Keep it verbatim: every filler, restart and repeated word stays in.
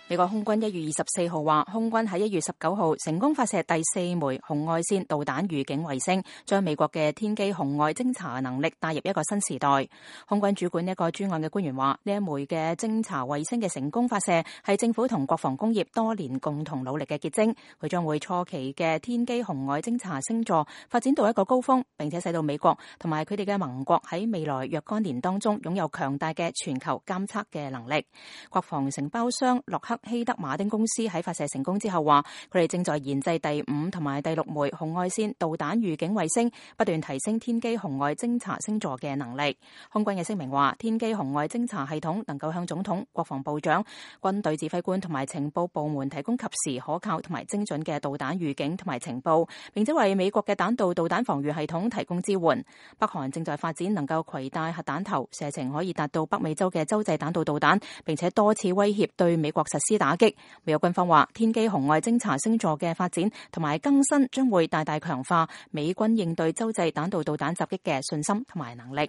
美國空軍一月二十四號話，空軍喺一月十九號成功發射第四枚紅外線導彈預警衛星，將美國嘅天基紅外偵察能力帶入一個新時代。空軍主管一個專案嘅官員話，呢一枚嘅偵察衛星嘅成功發射係政府同國防工業多年共同努力嘅結晶。佢將會初期嘅天基紅外偵察星座發展到一個高峰，並且使到美國同埋佢哋嘅盟國喺未來若干年當中擁有強大嘅全球監測嘅能力。國防承包商洛克希德馬丁公司喺發射成功之後話，佢哋正在研製第五同埋第六枚紅外線導彈預警衛星，不斷提升天基紅外偵察星座嘅能力。空軍嘅聲明話，天基紅外偵察系統能夠向總統、國防部長、軍隊指揮官同埋情報部門提供及時、可靠同埋精準嘅導彈預警同埋情報，並且為美國嘅彈道導彈防禦系統提供支援。北韓正在發展能夠攜帶核彈頭，射程可以達到北美洲嘅洲際彈道導彈，並且多次威脅對美國實施打擊。美國軍方話，天基紅外偵察星座嘅發展同埋更新將會大大強化美軍應對洲際彈道導彈襲擊嘅信心同埋能力。